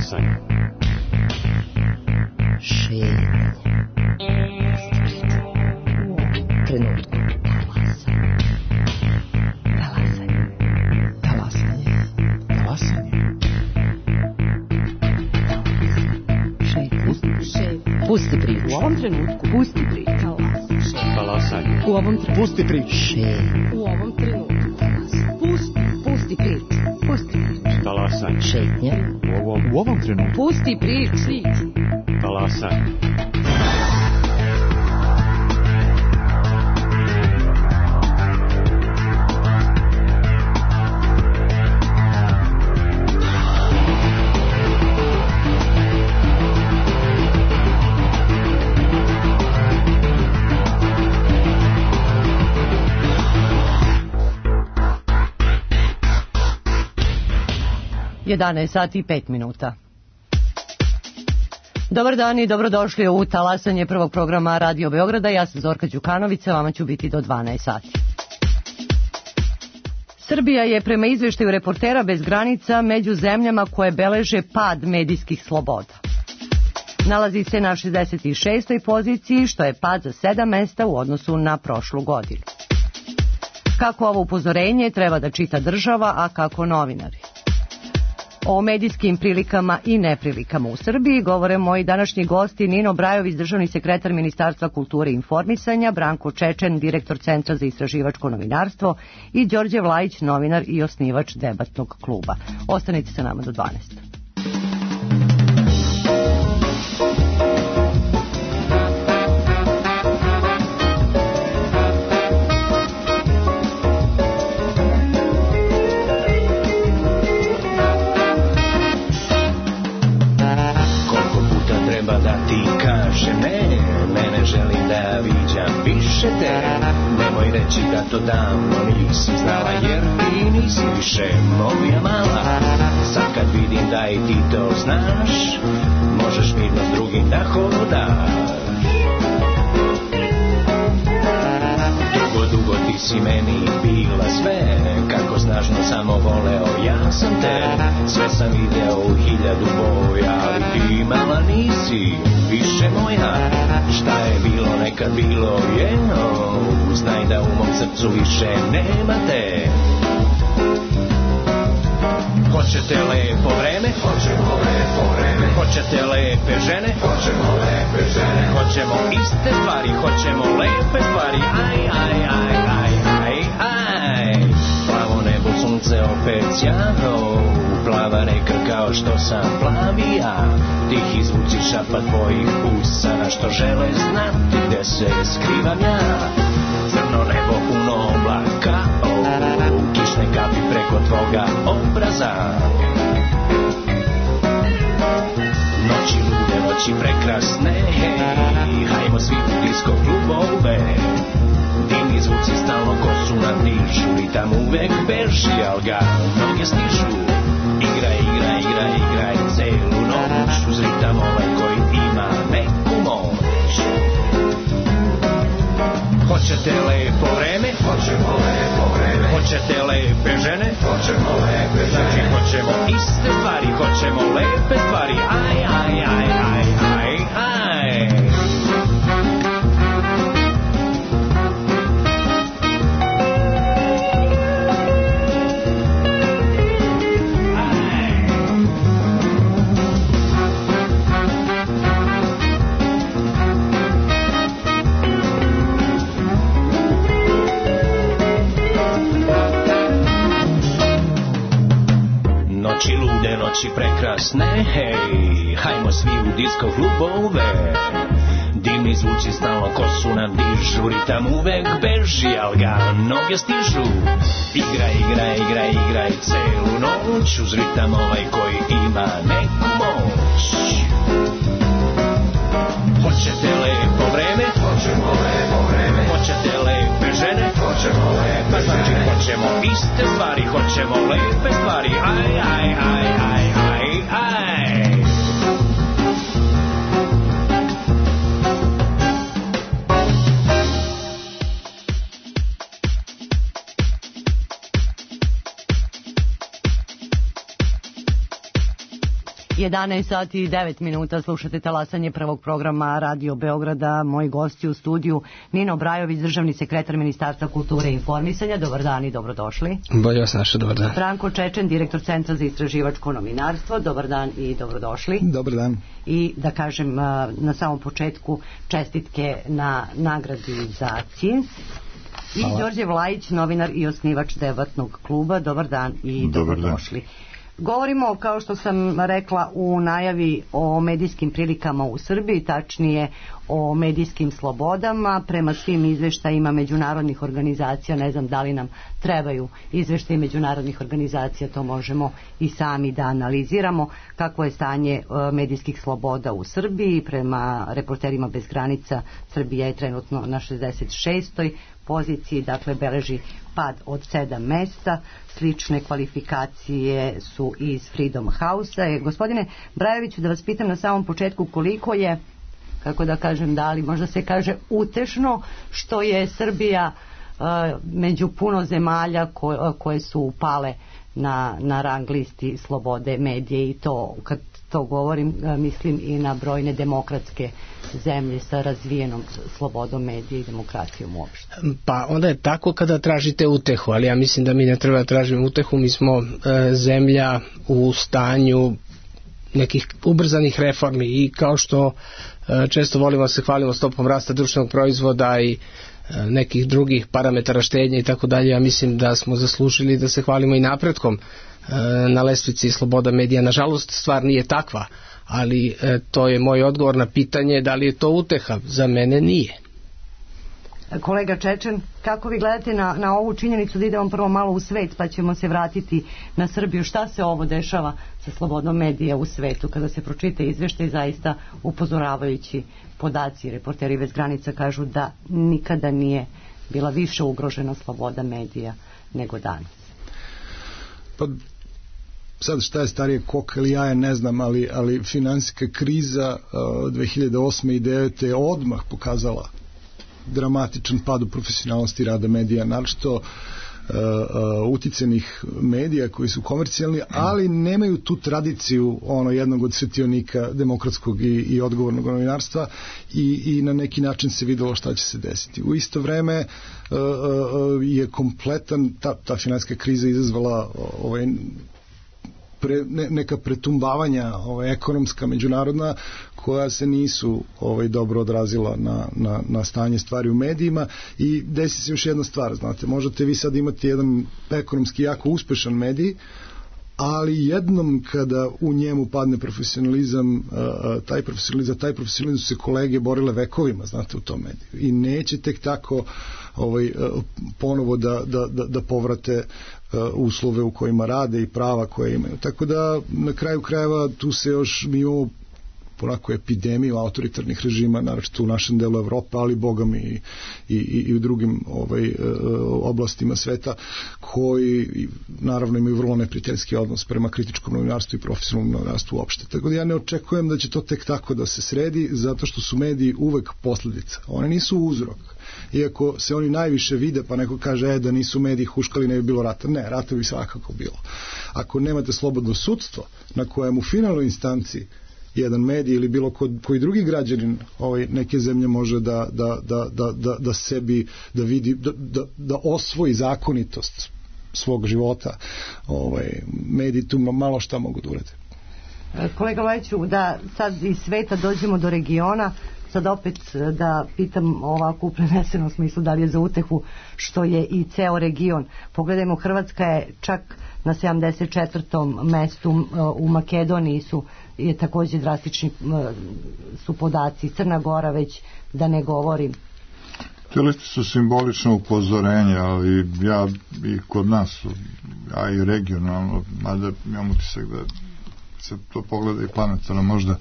Talasanje. Šetnje. Trenutku. Pusti priču. U ovom trenutku. Pusti priču. Talasanje. U ovom trenutku. Pusti priču. U ovom trenutku. Pusti priču. Pusti priču. Talasanje. Šetnje. U ovom trenutku. Pusti priču. Talasanje. Jedanaest sati i 5 minuta. Dobar dan i dobrodošli u talasanje prvog programa Radio Beograda. Ja sam Zorka Đukanović, vama ću biti do 12 sati. Srbija je prema izveštaju Reportera bez granica među zemljama koje beleže pad medijskih sloboda. Nalazi se na 66. poziciji, što je pad za 7 mesta u odnosu na prošlu godinu. Kako ovo upozorenje treba da čita država, a kako novinari? O medijskim prilikama i neprilikama u Srbiji govore moji današnji gosti Nino Brajović, državni sekretar Ministarstva kulture i informisanja, Branko Čečen, direktor Centra za istraživačko novinarstvo i Đorđe Vlajić, novinar i osnivač debatnog kluba. Ostanite sa nama do 12. 'Kaže ne, mene želim da viđam više te. Nemoj reći da to davno nisi znala, jer ti nisi više moja mala. Sad kad vidim da i ti to znaš, možeš mirno s drugim da hodaš. Dugo ti si meni bila sve, kako snažno samo voleo ja sam te. Sve sam video u 1000 boja, ali ti mala nisi više moja. Šta je bilo nekad bilo je, znaj da u mom srcu više nema te. Hoćete lepo vreme? Hoćemo lepo vreme. Hoćete lepe žene? Hoćemo lepe žene. Hoćemo iste stvari, hoćemo lepe stvari. Aj, aj, aj, aj, aj, aj. Plavo nebo, sunce opet sjano, plava reka kao što sam plavi ja. Tihi zvuci šapat tvojih usana, što žele znati gde se skrivam ja. Crno nebo puno oblaka, kišne kapi preko tvoga obraza. Noći lude, noći prekrasne, hajmo svi u disko klubove. Divni zvuci stalno kosu nam dižu, ritam uvek beži, al ga noge stižu. Igraj, igraj, igraj, igraj celu noć, uz ritam ovaj koji ima neku moć. Hoćete lepo vreme? Hoćemo lepo vreme. Hoćete lepe žene? Hoćemo lepe žene. Znači hoćemo iste stvari, hoćemo lepe stvari. Aj, aj, aj, aj, aj, aj. Noći lude, noći prekrasne, hej, hajmo svi u disko klubove. Dimni zvuci stalno kosu nam dižu, ritam uvek beži, al ga noge stižu. Igraj, igraj, igraj, igraj celu noć, uz ritam ovaj koji ima neku moć. Hoćete lepo vreme? Hoćemo lepo vreme. Hoćete lepe žene? Hoćemo lepe žene. Znači hoćemo iste stvari, hoćemo lepe stvari. Aj, aj, aj, aj, aj, aj. 11 sati i 9 minuta, slušate talasanje prvog programa Radio Beograda. Moji gosti u studiju: Nino Brajović, državni sekretar Ministarstva kulture i informisanja. Dobar dan i dobrodošli. Bolje vas našao, dobar dan. Branko Čečen, direktor Centra za istraživačko novinarstvo. Dobar dan i dobrodošli. Dobar dan. I da kažem na samom početku čestitke na nagradi za CINS. I Đorđe Vlajić, novinar i osnivač Debatnog kluba. Dobar dan i dobrodošli. Govorimo, kao što sam rekla u najavi, o medijskim prilikama u Srbiji, tačnije o medijskim slobodama. Prema svim izveštajima međunarodnih organizacija, ne znam da li nam trebaju izveštaji međunarodnih organizacija, to možemo i sami da analiziramo. Kakvo je stanje medijskih sloboda u Srbiji? Prema Reporterima bez granica, Srbija je trenutno na 66. poziciji, dakle beleži pad od 7 mesta. Slične kvalifikacije su iz Freedom House-a. Gospodine Brajoviću, da vas pitam na samom početku, koliko je, kako da kažem, da li možda se kaže utešno što je Srbija među puno zemalja koje su upale na rang listi slobode medije, i to kad to govorim mislim i na brojne demokratske zemlje sa razvijenom slobodom medija i demokratijom uopšte. Pa onda je tako kada tražite utehu, ali ja mislim da mi ne treba da tražimo utehu. Mi smo zemlja u stanju nekih ubrzanih reformi i kao što često volimo da se hvalimo stopom rasta društvenog proizvoda i nekih drugih parametara štednje i tako dalje, ja mislim da smo zaslužili da se hvalimo i napretkom na lestvici sloboda medija. Nažalost, stvar nije takva, ali to je moj odgovor na pitanje da li je to uteha. Za mene nije. Kolega Čečen, kako vi gledate na ovu činjenicu, da idemo prvo malo u svet pa ćemo se vratiti na Srbiju? Šta se ovo dešava sa slobodom medija u svetu? Kada se pročita izveštaj, zaista upozoravajući podaci. Reporteri bez granica kažu da nikada nije bila više ugrožena sloboda medija nego danas. Pa sad šta je starije koka ili jaje ne znam, ali finansijska kriza 2008. i 2009. je odmah pokazala dramatičan pad u profesionalnosti rada medija, naročito uticajnih medija koji su komercijalni, ali nemaju tu tradiciju jednog od svetionika demokratskog i odgovornog novinarstva, i na neki način se videlo šta će se desiti. U isto vreme je kompletan ta finansijska kriza izazvala neka pretumbavanja ekonomska, međunarodna, koja se nisu dobro odrazila na stanje stvari u medijima. I desi se još jedna stvar, znate, možete vi sad imati jedan ekonomski jako uspešan medij, ali jednom kada u njemu padne profesionalizam, taj profesionalizam su se kolege borile vekovima, znate, u tom mediju, i neće tek tako ponovo da povrate uslove u kojima rade i prava koje imaju. Tako da na kraju krajeva tu se još mi imamo ponako epidemiju autoritarnih režima, naročito u našem delu Evrope, ali bogami i u drugim oblastima sveta, koji naravno imaju vrlo neprijateljski odnos prema kritičkom novinarstvu i profesionalnom novinarstvu uopšte. Tako da ja ne očekujem da će to tek tako da se sredi, zato što su mediji uvek posledica. One nisu uzrok. Iako se oni najviše vide, pa neko kaže da nisu mediji huškali, ne bi bilo rata. Ne, rata bi svakako bilo. Ako nemate slobodno sudstvo na kojem u finalnoj instanciji jedan medij ili bilo koji drugi građanin neke zemlje može da sebi, da vidi, da osvoji zakonitost svog života, mediji tu malo šta mogu da urade. Kolega Vlajiću, da sad iz sveta dođemo do regiona, sad opet da pitam ovako u prenesenom smislu, da li je za utehu što je i ceo region. Pogledajmo, Hrvatska je čak na 74. mestu, u Makedoniji je također drastični su podaci, Crna Gora već da ne govorim. Te liste su simbolično upozorenje, ali ja i kod nas, a i regionalno, mada imam utisak da se to pogleda i planetarno, možda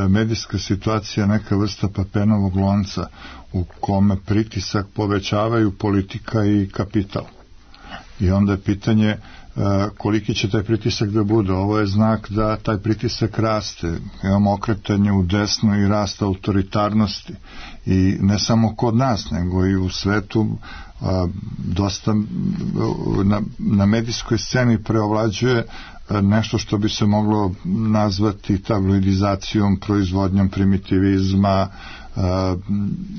medijska situacija je neka vrsta papenovog lonca u kome pritisak povećavaju politika i kapital. I onda je pitanje koliki će taj pritisak da bude. Ovo je znak da taj pritisak raste. Imamo okretanje u desno i rast autoritarnosti. I ne samo kod nas, nego i u svetu dosta na medijskoj sceni preovlađuje nešto što bi se moglo nazvati tabloidizacijom, proizvodnjom primitivizma,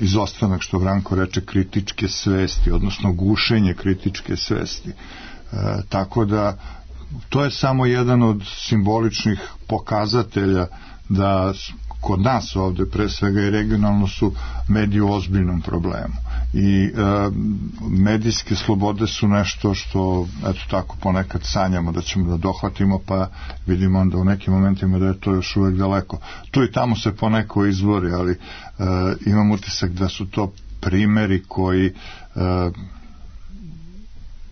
izostanak, što Branko reče, kritičke svesti, odnosno gušenje kritičke svesti. Tako da to je samo jedan od simboličnih pokazatelja da kod nas ovde, pre svega i regionalno, su mediji u ozbiljnom problemu. I medijske slobode su nešto što, eto tako, ponekad sanjamo da ćemo da dohvatimo, pa vidimo onda u nekim momentima da je to još uvek daleko. Tu i tamo se poneko izvori, ali imam utisak da su to primeri koji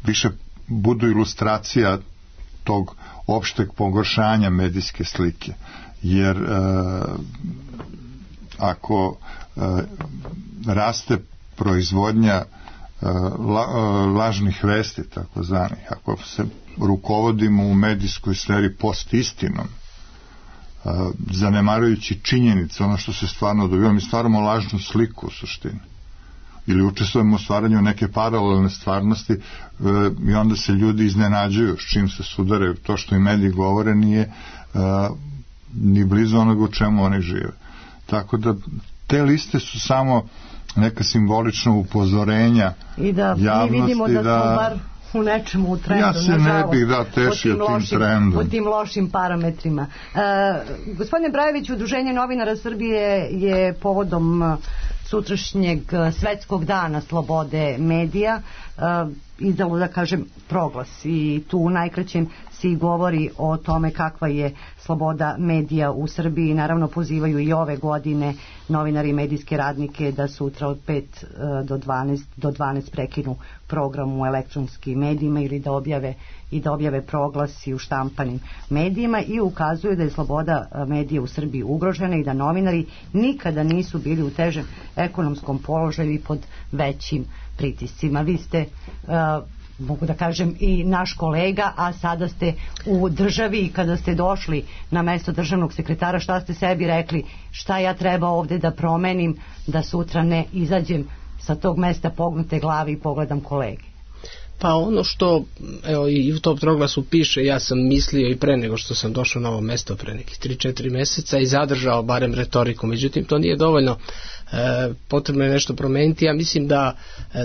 više budu ilustracija tog opšteg pogoršanja medijske slike. Jer ako raste proizvodnja lažnih vesti, takozvanih, ako se rukovodimo u medijskoj sferi post-istinom, zanemarujući činjenice, ono što se stvarno dobiva, mi stvaramo lažnu sliku u suštini. Ili učestvujemo u stvaranju neke paralelne stvarnosti i onda se ljudi iznenađuju s čim se sudaraju. To što i mediji govore nije ni blizu onoga u čemu oni žive. Tako da te liste su samo neka simbolična upozorenja i da javnosti, mi vidimo da smo bar u nečemu u trendu, ja se ne bih tešio tim trendom. U tim lošim parametrima. Gospodine Brajević, Udruženje novinara Srbije je povodom sutrašnjeg svetskog dana slobode medija izdalo, da kažem, proglas i tu u najkraćem se govori o tome kakva je sloboda medija u Srbiji. Naravno pozivaju i ove godine novinari i medijske radnike da sutra od 5 do 12 prekinu program u elektronskim medijima ili da objave proglas i u štampanim medijima i ukazuju da je sloboda medija u Srbiji ugrožena i da novinari nikada nisu bili u težem ekonomskom položaju i pod većim pritiscima. Vi ste, mogu da kažem, i naš kolega, a sada ste u državi i kada ste došli na mesto državnog sekretara, šta ste sebi rekli, šta ja treba ovde da promenim da sutra ne izađem sa tog mesta pognute glave i pogledam kolege? Pa ono što, evo, i u tom proglasu piše, ja sam mislio i pre nego što sam došao na ovo mesto pre nekih 3-4 meseca i zadržao barem retoriku, međutim to nije dovoljno, potrebno je nešto promeniti. Ja mislim da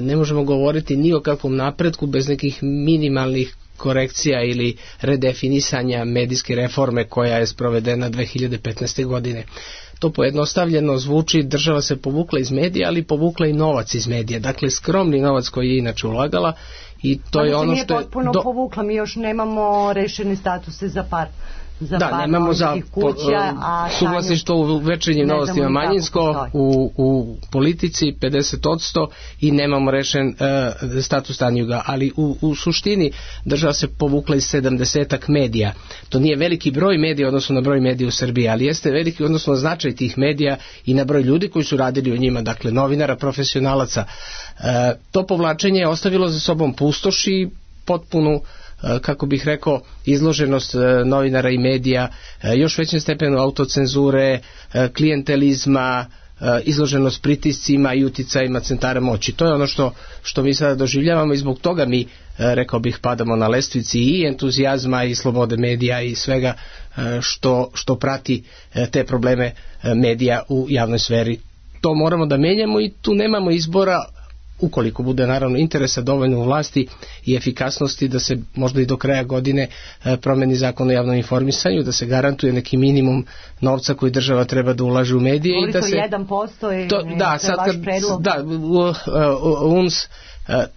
ne možemo govoriti ni o kakvom napretku bez nekih minimalnih korekcija ili redefinisanja medijske reforme koja je sprovedena 2015. godine. To pojednostavljeno zvuči, država se povukla iz medija, ali povukla i novac iz medija. Dakle, skromni novac koji je inače ulagala i to je ono što je... nije potpuno povukla, mi još nemamo rešene statuse za par. Nemamo za suvlasništvo u Večernjim novostima manjinsko, u politici 50% i nemamo rešen status Tanjuga, ali u suštini država se povukla iz 70-ak medija. To nije veliki broj medija odnosno na broj medija u Srbiji, ali jeste veliki odnosno značaj tih medija i na broj ljudi koji su radili u njima, dakle novinara, profesionalaca. To povlačenje je ostavilo za sobom pustoš i potpunu, kako bih rekao, izloženost novinara i medija još većem stepenu autocenzure, klijentelizma, izloženost pritiscima i uticajima centara moći. To je ono što mi sada doživljavamo i zbog toga mi, rekao bih, padamo na lestvici i entuzijazma i slobode medija i svega što prati te probleme medija u javnoj sferi. To moramo da menjamo i tu nemamo izbora, ukoliko bude naravno interesa dovoljno u vlasti i efikasnosti da se možda i do kraja godine promeni zakon o javnom informisanju, da se garantuje neki minimum novca koji država treba da ulaže u medije. Govori i da se se 1% to je vaš predlog. Da, UNS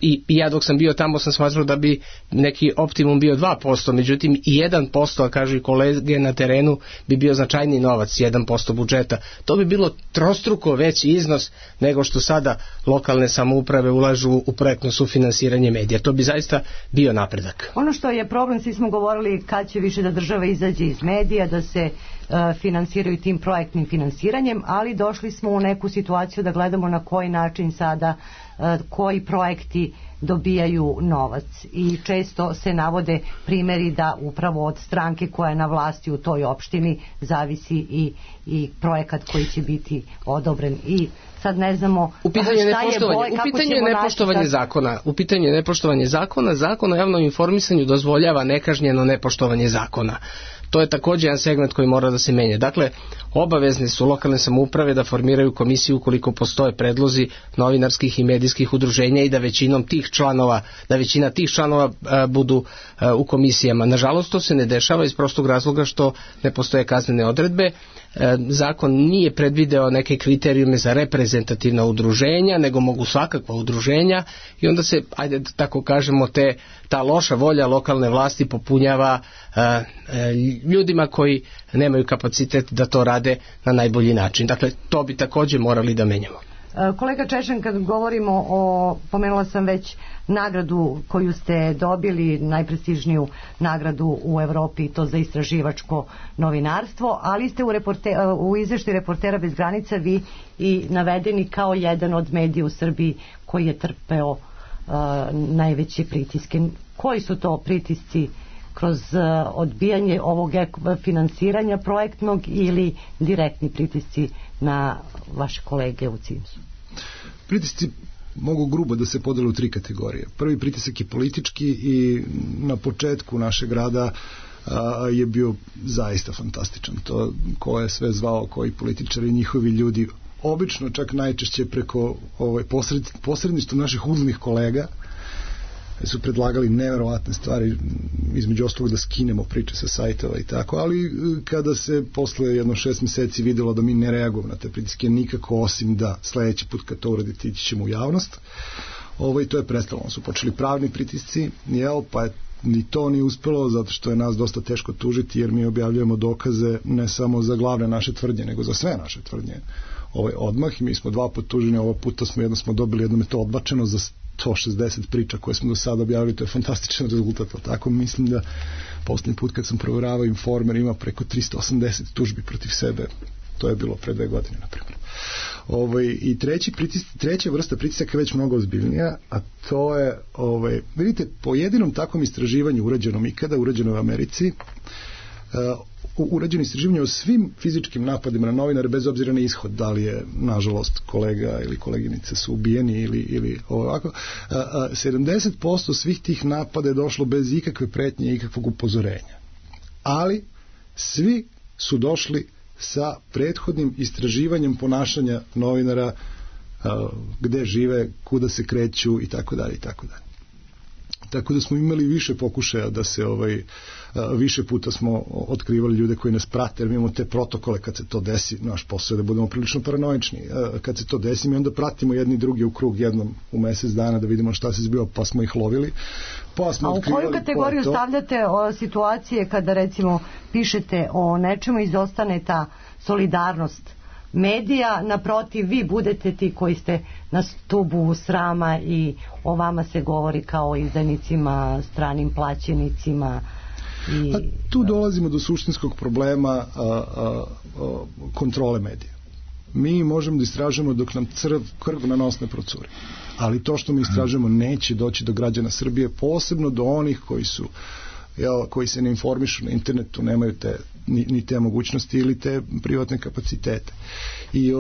i ja dok sam bio tamo sam smatrao da bi neki optimum bio 2%, međutim i 1%, a kažu i kolege na terenu, bi bio značajni novac, 1% budžeta. To bi bilo trostruko veći iznos nego što sada lokalne samouprave ulažu u projektno sufinansiranje medija. To bi zaista bio napredak. Ono što je problem, svi smo govorili kad će više da država izađe iz medija, da se finansiraju tim projektnim finansiranjem, ali došli smo u neku situaciju da gledamo na koji način sada koji projekti dobijaju novac i često se navode primjeri da upravo od stranke koja je na vlasti u toj opštini zavisi i projekat koji će biti odobren i sad ne znamo u pitanju je nepoštovanje zakona. Zakon o javnom informisanju dozvoljava nekažnjeno nepoštovanje zakona. To je također jedan segment koji mora da se menja. Dakle, obavezne su lokalne samouprave da formiraju komisiju ukoliko postoje predlozi novinarskih i medijskih udruženja i da većina tih članova budu u komisijama. Nažalost, to se ne dešava iz prostog razloga što ne postoje kaznene odredbe. Zakon nije predvideo neke kriterijume za reprezentativna udruženja, nego mogu svakakva udruženja i onda se, ajde da tako kažemo, ta loša volja lokalne vlasti popunjava ljudima koji nemaju kapacitet da to rade na najbolji način. Dakle, to bi također morali da menjamo. Kolega Češan, kad govorimo pomenula sam već nagradu koju ste dobili, najprestižniju nagradu u Evropi, to za istraživačko novinarstvo, ali ste u izveštaju Reportera bez granica vi i navedeni kao jedan od medija u Srbiji koji je trpeo najveće pritiske. Koji su to pritisci kroz odbijanje ovog finansiranja projektnog ili direktni pritisci na vaše kolege u CIMS-u? Pritisci mogu grubo da se podele u 3 kategorije. Prvi pritisak je politički i na početku našeg rada je bio zaista fantastičan. To ko je sve zvao, koji političari, njihovi ljudi, obično čak najčešće preko posredništva naših uznih kolega su predlagali neverovatne stvari, između ostalog da skinemo priče sa sajtova i tako, ali kada se posle 6 mjeseci videlo da mi ne reagujemo na te pritiske nikako, osim da sledeći put kad to uradite ići ćemo u javnost, to je prestalo. Su počeli pravni pritisci, pa je ni to nije uspelo zato što je nas dosta teško tužiti jer mi objavljujemo dokaze ne samo za glavne naše tvrdnje, nego za sve naše tvrdnje odmah i mi smo 2 puta tuženi, ovo puta smo dobili, jednom je to odbačeno za 160 priča koje smo do sada objavili, to je fantastičan rezultat, tako mislim da posljednji put kad sam provjeravao Informer ima preko 380 tužbi protiv sebe, to je bilo pre 2 godine na primjer. I treća vrsta pritisaka je već mnogo ozbiljnija, a to je, vidite, po jedinom takvom istraživanju urađenom ikada, urađeno u Americi, urađeno istraživanje o svim fizičkim napadima na novinare bez obzira na ishod, da li je nažalost kolega ili koleginice su ubijeni ili ovako, 70% svih tih napada je došlo bez ikakve pretnje i ikakvog upozorenja, ali svi su došli sa prethodnim istraživanjem ponašanja novinara, gde žive, kuda se kreću i tako dalje i tako dalje. Tako da smo imali više pokušaja da se više puta smo otkrivali ljude koji nas prate, jer mi imamo te protokole kad se to desi, naš posao je da budemo prilično paranoični. Kad se to desi, mi onda pratimo jedni drugi u krug jednom u mjesec dana da vidimo šta se zbiva, pa smo ih lovili. Pa smo otkrivali. A u koju kategoriju stavljate situacije kada recimo pišete o nečemu, izostane ta solidarnost medija, naprotiv vi budete ti koji ste na stubu srama i o vama se govori kao o izdajnicima, stranim plaćenicima tu dolazimo do suštinskog problema kontrole medija. Mi možemo da istražujemo dok nam krv na nos ne procuri, ali to što mi istražujemo neće doći do građana Srbije, posebno do onih koji se ne informišu na internetu, nemaju ni te mogućnosti ili te privatne kapacitete. I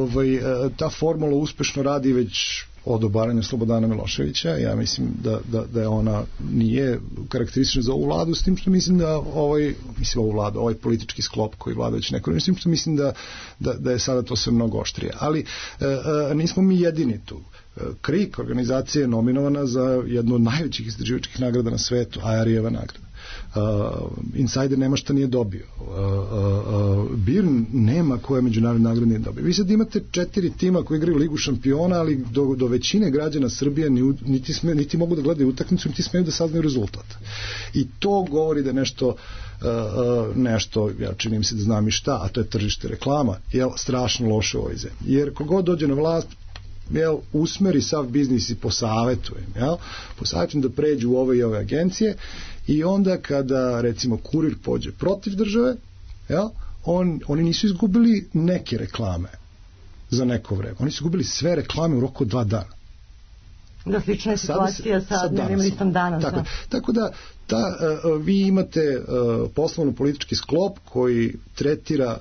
ta formula uspešno radi već od obaranja Slobodana Miloševića. Ja mislim da je ona nije karakteristična za ovu vladu, s tim što mislim da ovaj politički sklop koji vlada već neko, s tim što mislim da je sada to sve mnogo oštrije. Ali nismo mi jedini tu. KRIK organizacija je nominovana za jednu od najvećih istraživačkih nagrada na svetu, Ajarijeva nagrada. Insider nema šta nije dobio. BIRN nema koje međunarodne nagrade nije dobio. Vi sad imate 4 tima koji igraju Ligu šampiona, ali do većine građana Srbije niti mogu da gledaju utakmicu, niti smeju da saznaju rezultat. I to govori da nešto, ja činim se da znam i šta, a to je tržište reklama, je strašno loše u ovoj zemlji. Jer kogod dođe na vlast, usmeri sav biznis i posavjetujem da pređu u ove i ove agencije i onda kada recimo Kurir pođe protiv države, oni nisu izgubili neke reklame za neko vreme. Oni su izgubili sve reklame u roku od 2 dana. Da, slična je situacija sa dnevnim listom Danas. Tako da vi imate poslovno-politički sklop koji tretira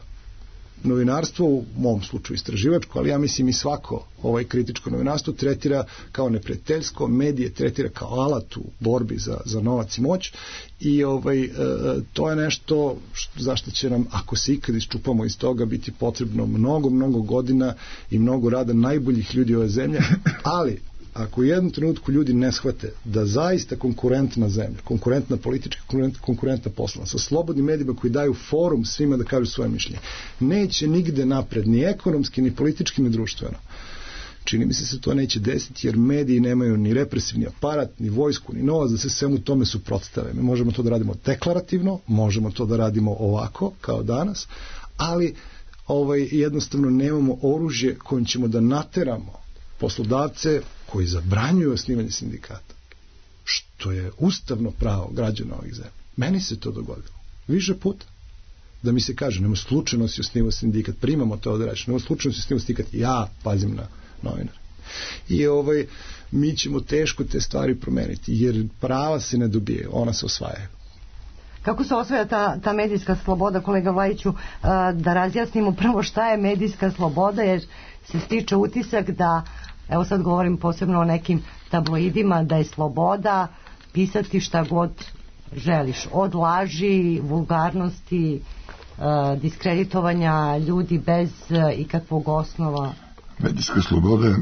novinarstvo, u mom slučaju istraživačko, ali ja mislim i svako kritičko novinarstvo tretira kao neprijateljsko, medije tretira kao alat u borbi za novac i moć i to je nešto zašto će nam, ako se ikad iščupamo iz toga, biti potrebno mnogo godina i mnogo rada najboljih ljudi ove zemlje, ali ako u jednom trenutku ljudi ne shvate da zaista konkurentna zemlja, konkurentna politička, konkurentna poslovna, sa slobodnim medijima koji daju forum svima da kažu svoje mišljenje, neće nigde napred, ni ekonomski, ni politički, ni društveno. Čini mi se to neće desiti, jer mediji nemaju ni represivni aparat, ni vojsku, ni novac da se svemu tome suprotstave. Mi možemo to da radimo deklarativno, možemo to da radimo ovako, kao danas, ali jednostavno nemamo oružje kojim ćemo da nateramo poslodavce koji zabranjuju osnivanje sindikata, što je ustavno pravo građana ovih zemlja. Meni se to dogodilo više puta. Da mi se kaže, nema slučajno si osnivao sindikat, primamo to da reći, nema slučajno si osnivao sindikat, ja pazim na novinare. I mi ćemo teško te stvari promeniti, jer prava se ne dobije, ona se osvaja. Kako se osvaja ta medijska sloboda, kolega Vlajiću, da razjasnimo prvo šta je medijska sloboda, jer se stiče utisak da, evo sad govorim posebno o nekim tabloidima, da je sloboda pisati šta god želiš, od laži, vulgarnosti, diskreditovanja ljudi bez ikakvog osnova. Medijska sloboda je...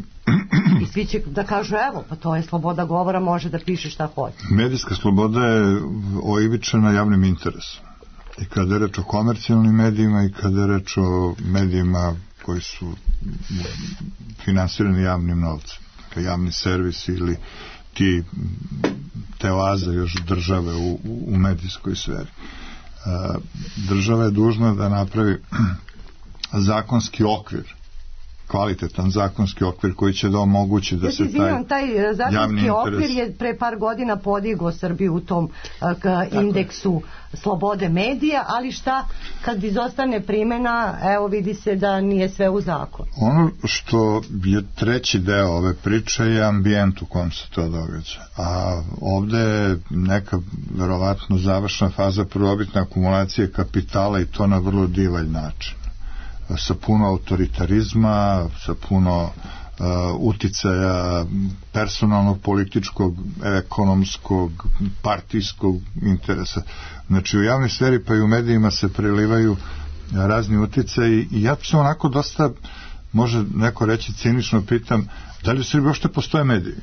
I svi će da kažu, evo, pa to je sloboda govora, može da piše šta hoće. Medijska sloboda je oivičena javnim interesom. I kada je reč o komercijalnim medijima i kada je reč o medijima koji su finansirani javnim novcem, javni servis ili te oaze još države u medijskoj sferi. Država je dužna da napravi zakonski okvir, kvalitetan zakonski okvir koji će da omogući da se taj zakonski okvir je pre par godina podigao Srbiju u tom indeksu slobode medija, ali šta kad izostane primena, evo vidi se da nije sve u zakonu. Ono što je treći deo ove priče je ambijent u kom se to događa, a ovde je neka verovatno završna faza prvobitne akumulacije kapitala i to na vrlo divalj način, sa puno autoritarizma, sa puno uticaja personalnog, političkog, ekonomskog, partijskog interesa. Znači u javnoj sferi pa i u medijima se prelivaju razni uticaji i ja se onako dosta, može neko reći cinično, pitam da li u Srbiji uopšte postoje mediji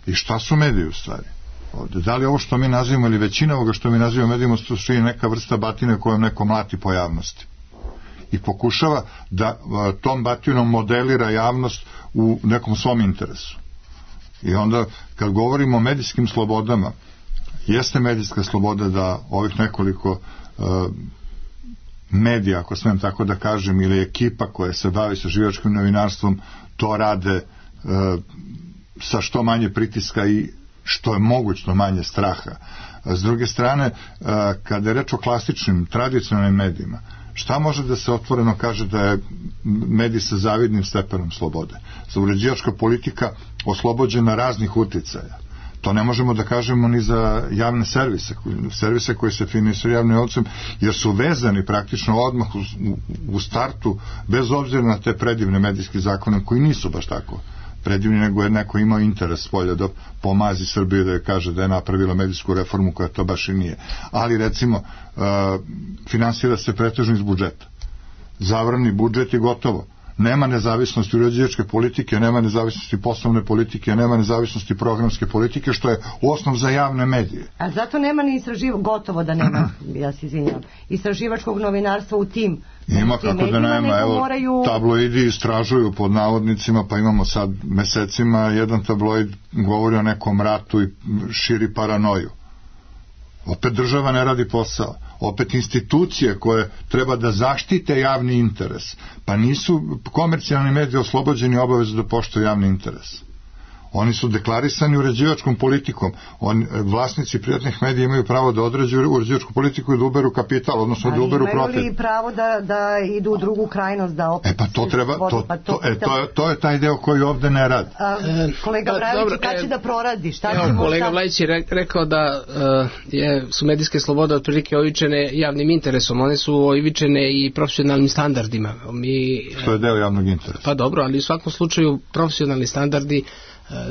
i šta su mediji u stvari ovde? Da li ovo što mi nazivamo ili većina ovoga što mi nazivamo medijima su neka vrsta batine kojom neko mlati po javnosti i pokušava da tom batinom modelira javnost u nekom svom interesu. I onda kad govorimo o medijskim slobodama, jeste medijska sloboda da ovih nekoliko medija, ako smem tako da kažem, ili ekipa koja se bavi sa istraživačkim novinarstvom, to rade sa što manje pritiska i što je mogućno manje straha. S druge strane, kada je reč o klasičnim, tradicionalnim medijima, šta može da se otvoreno kaže da je medij sa zavidnim stepenom slobode? Uređivačka politika oslobođena raznih uticaja. To ne možemo da kažemo ni za javne servise koji se finansiraju javnim novcem, jer su vezani praktično odmah u startu, bez obzira na te predivne medijske zakone koji nisu baš tako predivni, nego je neko imao interes polja da pomazi Srbiju, da je kaže da je napravila medijsku reformu koja to baš i nije. Ali recimo finansira se pretežno iz budžeta. Zavrani budžet i gotovo. Nema nezavisnosti uređivačke politike, nema nezavisnosti poslovne politike, nema nezavisnosti programske politike, što je osnov za javne medije. A zato nema ni gotovo da nema, ja se izvinjam, istraživačkog novinarstva u tim ima kako da nema, evo, tabloidi istražuju pod navodnicima, pa imamo sad mesecima, jedan tabloid govori o nekom ratu i širi paranoju. Opet država ne radi posao, opet institucije koje treba da zaštite javni interes, pa nisu komercijalni mediji oslobođeni obavezu da poštuju javni interes. Oni su deklarisani uređivačkom politikom. Vlasnici privatnih medija imaju pravo da određuju uređivačku politiku i da uberu kapital, odnosno da uberu profit. Ali imaju li pravo da idu u drugu krajnost, da opet... pa to treba, to je taj deo koji ovde ne radi. Kolega Brajović, kada će da proradi? Kolega Vlajić je rekao da su medijske slobode otprilike oivičene javnim interesom. One su oivičene i profesionalnim standardima. Što je deo javnog interesa. Pa dobro, ali u svakom slučaju profesionalni standardi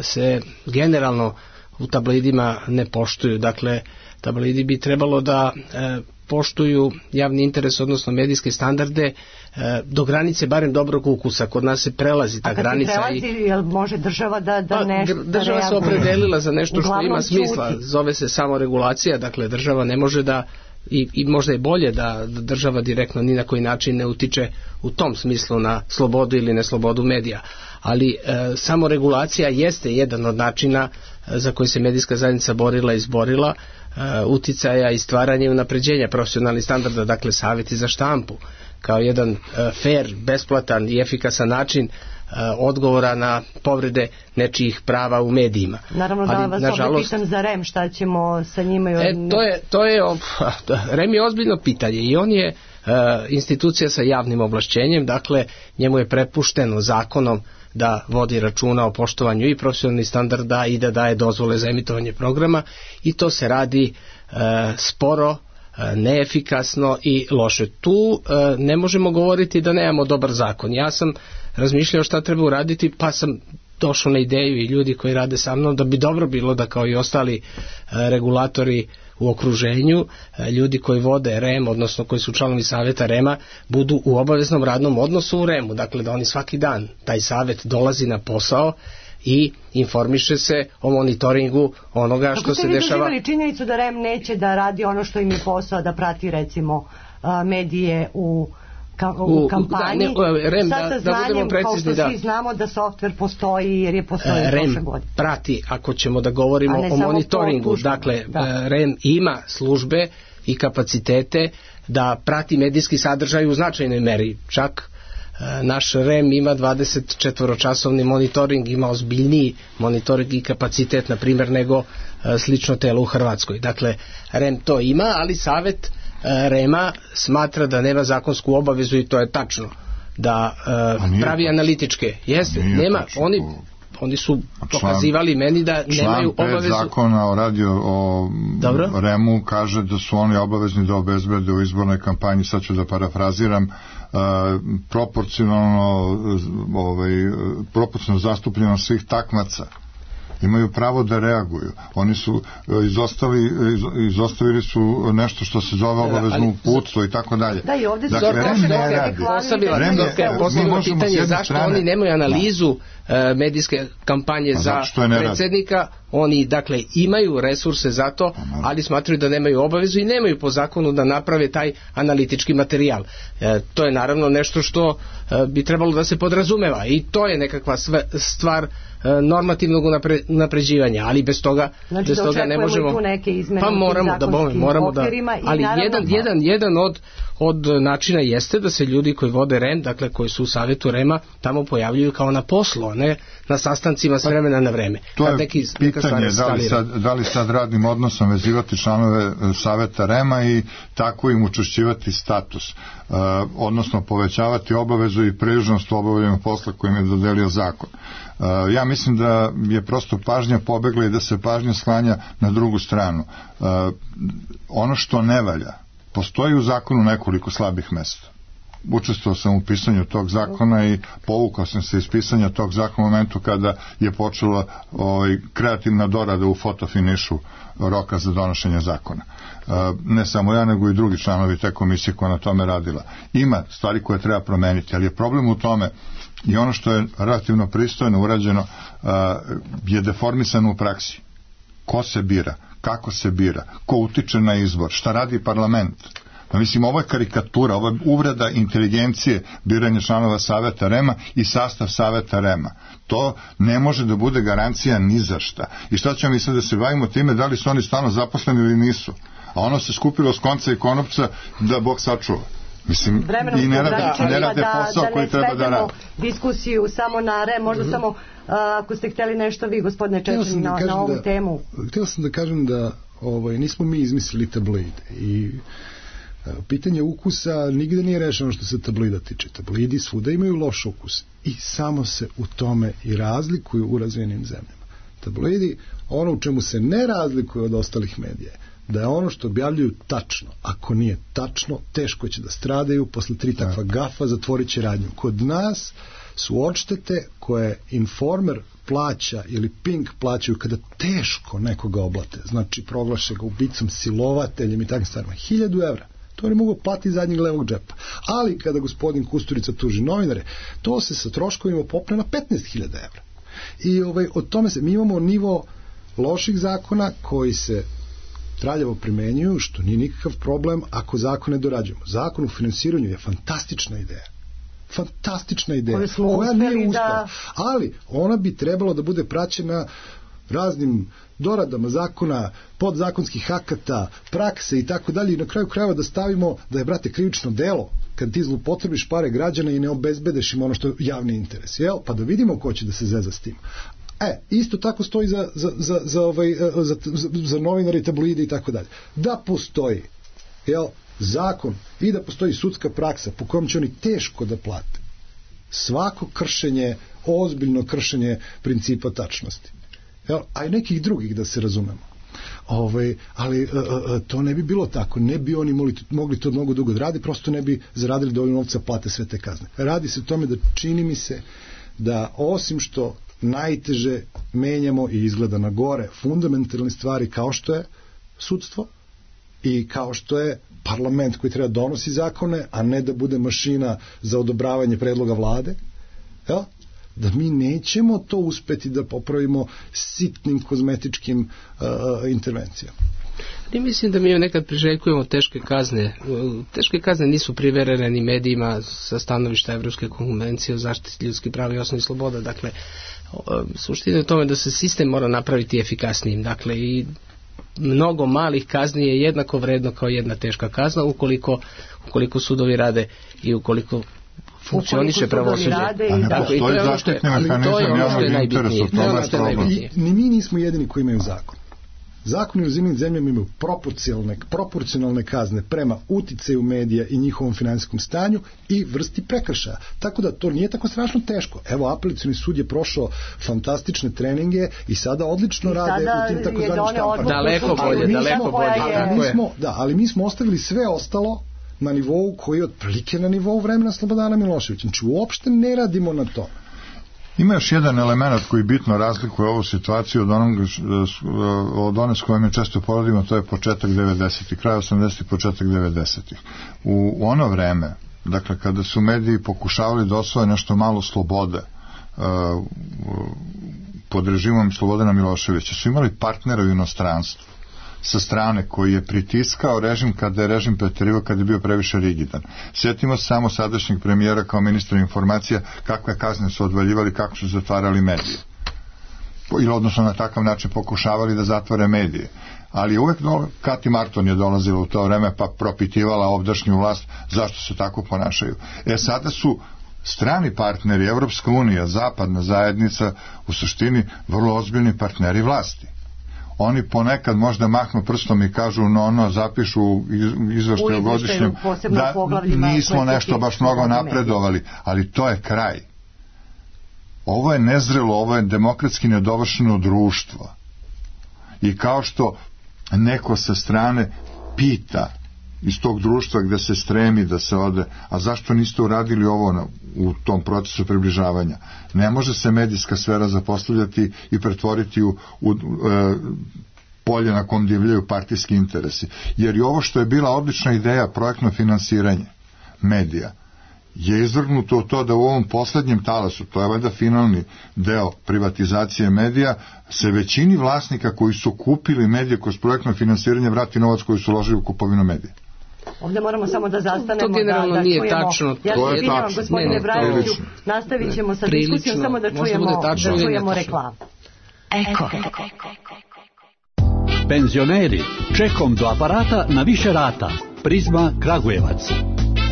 se generalno u tabloidima ne poštuju. Dakle, tabloidi bi trebalo da poštuju javni interes, odnosno medijske standarde do granice barem dobrog ukusa. Kod nas se prelazi ta granica. A kad se prelazi, jel može država da nešto... Država se opredelila za nešto što ima smisla. Zove se samoregulacija, dakle država ne može da i možda je bolje da država direktno ni na koji način ne utiče u tom smislu na slobodu ili neslobodu medija. Ali samoregulacija jeste jedan od načina za koji se medijska zajednica borila i izborila, uticaja i stvaranja i unapređenja profesionalnih standarda, dakle savjeti za štampu kao jedan fair, besplatan i efikasan način odgovora na povrede nečijih prava u medijima. Naravno da vas ovdje pitam za REM, šta ćemo sa njima? REM je ozbiljno pitanje i on je institucija sa javnim ovlašćenjem, dakle njemu je prepušteno zakonom da vodi računa o poštovanju i profesionalnih standarda i da daje dozvole za emitovanje programa i to se radi sporo, neefikasno i loše. Tu ne možemo govoriti da nemamo dobar zakon. Ja sam razmišljao šta treba uraditi, pa sam došao na ideju i ljudi koji rade sa mnom da bi dobro bilo da kao i ostali regulatori u okruženju, ljudi koji vode REM, odnosno koji su članovi savjeta REM-a, budu u obaveznom radnom odnosu u REM-u, dakle da oni svaki dan, taj savjet dolazi na posao i informiše se o monitoringu onoga što se dešava. Kako ste vi doživjeli činjenicu da REM neće da radi ono što im je posao, da prati recimo medije u kampanji, REM, da budemo precizni, kao što svi znamo da softver postoji jer je postoji prošle godine. Prati, ako ćemo da govorimo o monitoringu, dakle REM ima službe i kapacitete da prati medijski sadržaj u značajnoj meri, čak naš REM ima 24-časovni monitoring, ima ozbiljniji monitoring i kapacitet, na primjer, nego slično telo u Hrvatskoj. Dakle, REM to ima, ali savjet REM-a smatra da nema zakonsku obavezu i to je tačno, da pravi analitičke. Jeste, nema, oni su pokazivali meni da nemaju obavezu. Član 5 zakona o REM-u kaže da su oni obavezni da obezbede u izbornoj kampanji, sad ću da parafraziram, proporcionalno zastupljenost svih takmaca. Imaju pravo da reaguju. Oni su izostavili su nešto što se zove obavezno uputstvo i tako dalje. Da, i ovdje su postavljeno pitanje zašto oni nemaju analizu medijske kampanje za predsjednika. Oni dakle imaju resurse za to, ali smatraju da nemaju obavezu i nemaju po zakonu da naprave taj analitički materijal. To je naravno nešto što bi trebalo da se podrazumeva i to je nekakva stvar normativnog napređivanja, ali bez toga ne možemo. Pa moramo da, ali jedan od načina jeste da se ljudi koji vode REM, dakle koji su u savjetu REM-a, tamo pojavljuju kao na poslu, a ne na sastancima s vremena na vreme. To je pitanje da li sad radnim odnosom vezivati članove savjeta REM-a i tako im učvršćivati status, odnosno povećavati obavezu i priližnost u obavljanju posla kojim je dodelio zakon. Ja mislim da je prosto pažnja pobegla i da se pažnja sklanja na drugu stranu. Ono što ne valja, postoji u zakonu nekoliko slabih mesta. Učestvovao sam u pisanju tog zakona i povukao sam se iz pisanja tog zakona u momentu kada je počela kreativna dorada u fotofinišu roka za donošenje zakona. Ne samo ja, nego i drugi članovi te komisije koja na tome radila. Ima stvari koje treba promeniti, ali je problem u tome i ono što je relativno pristojno urađeno je deformisano u praksi. Ko se bira, kako se bira, ko utiče na izbor, šta radi parlament. Mislim, ovo je karikatura, ovo je uvreda inteligencije biranja članova savjeta REM-a i sastav savjeta REM-a. To ne može da bude garancija ni za šta. I šta ćemo mi sad da se bavimo time da li su oni stalno zaposleni ili nisu? A ono se skupilo s konca i konopca da Bog sačuva. Mislim, i ne rade posao koji treba da rade. Diskusiju samo na možda samo ako ste hteli nešto vi, gospodine Čečani, na ovu temu. Htio sam da kažem da nismo mi izmislili tabloide i pitanje ukusa nigde nije rešeno što se tabloida tiče. Tabloidi svuda imaju loš ukus i samo se u tome i razlikuju u razvijenim zemljama. Tabloidi, ono u čemu se ne razlikuju od ostalih medija, da je ono što objavljuju tačno. Ako nije tačno, teško će da stradaju, posle 3 takva gafa zatvorit će radnju. Kod nas su odštete koje Informer plaća ili Pink plaćaju kada teško nekoga oblate, znači proglaše ga ubicom, silovateljem i takvim stvarima, 1000 evra. To ne mogu platiti zadnjeg levog džepa. Ali kada gospodin Kusturica tuži novinare, to se sa troškovima popne na 15.000 evra. I od tome mi imamo nivo loših zakona koji se traljavo primenjuju, što nije nikakav problem ako zakone dorađujemo. Zakon o finansiranju je fantastična ideja. Fantastična ideja. Koja nije uspela. Ali ona bi trebalo da bude praćena raznim doradama zakona, podzakonskih akata, prakse i tako dalje i na kraju krajeva da stavimo da je, brate, krivično delo kad ti zlupotrebiš pare građana i ne obezbedeš im ono što je javni interes. Jel? Pa da vidimo ko će da se zeza s tim. Isto tako stoji za novinare i tabloide i tako dalje. Da postoji zakon i da postoji sudska praksa po kojom će oni teško da plate svako kršenje, ozbiljno kršenje principa tačnosti. A i nekih drugih, da se razumemo. Ali to ne bi bilo tako. Ne bi oni mogli to mnogo dugo da radi, prosto ne bi zaradili dovoljno novca plate sve te kazne. Radi se o tome da čini mi se da osim što najteže menjamo i izgleda na gore fundamentalne stvari kao što je sudstvo i kao što je parlament koji treba donosi zakone, a ne da bude mašina za odobravanje predloga vlade, da mi nećemo to uspeti da popravimo sitnim kozmetičkim intervencijama. I mislim da mi nekad priželjkujemo teške kazne. Teške kazne nisu priverene ni medijima sa stanovišta Evropske konvencije o zaštiti ljudskih prava i osnovnih sloboda. Dakle, suština je u tome da se sistem mora napraviti efikasnijim. Dakle, i mnogo malih kazni je jednako vredno kao jedna teška kazna ukoliko sudovi rade i ukoliko funkcioniše pravosuđe. A ne postoji zaštitni mehanizam javnog interesa, to je problem. Ni mi nismo jedini koji imaju zakon. Zakoni u zemljama imaju proporcionalne kazne prema uticaju medija i njihovom finansijskom stanju i vrsti prekršaja. Tako da to nije tako strašno teško. Evo, apelacioni sud je prošao fantastične treninge i sada odlično rade u tim takozvanim štampama. Daleko bolje. Ali mi smo ostavili sve ostalo na nivou koji je otprilike na nivou vremena Slobodana Miloševića. Znači, uopšte ne radimo na to. Ima još jedan element koji bitno razlikuje ovu situaciju od one s kojom je često poradimo, to je početak 90-ih, kraj 80-ih, početak 90-ih. U ono vreme, dakle, kada su mediji pokušavali da osvoje nešto malo slobode pod režimom Slobodana Miloševića, su imali partnera u inostranstvu sa strane koji je pritiskao režim kada je režim preterivao, kada je bio previše rigidan. Sjetimo se samo sadašnjeg premijera kao ministra informacija kakve kazne su odvaljivali, kako su zatvarali medije. Ili odnosno na takav način pokušavali da zatvore medije. Ali uvek Kati Marton je dolazila u to vreme pa propitivala ovdašnju vlast zašto se tako ponašaju. Sada su strani partneri, Evropska unija, zapadna zajednica, u suštini vrlo ozbiljni partneri vlasti. Oni ponekad možda mahnu prstom i kažu zapišu izveštaju godišnjem da nismo nešto baš mnogo napredovali, ali to je kraj. Ovo je nezrelo, ovo je demokratski nedovršeno društvo. I kao što neko sa strane pita iz tog društva gde se stremi da se ode, a zašto niste uradili ovo u tom procesu približavanja? Ne može se medijska sfera zapostavljati i pretvoriti u polje na kom divljaju partijski interesi. Jer i ovo što je bila odlična ideja, projektno finansiranje medija, je izvrgnuto u to da u ovom poslednjem talasu, to je valjda finalni deo privatizacije medija, se većini vlasnika koji su kupili medije kroz projektno finansiranje vrati novac koji su uložili u kupovinu medija. Ovdje moramo samo da zastanemo. To generalno nije tačno. Ja se izvinjavam, gospodine Brajoviću, nastavit ćemo sa diskusijom, samo da čujemo reklamu. Eko. Penzioneri, čekom do aparata na više rata. Prizma Kragujevac.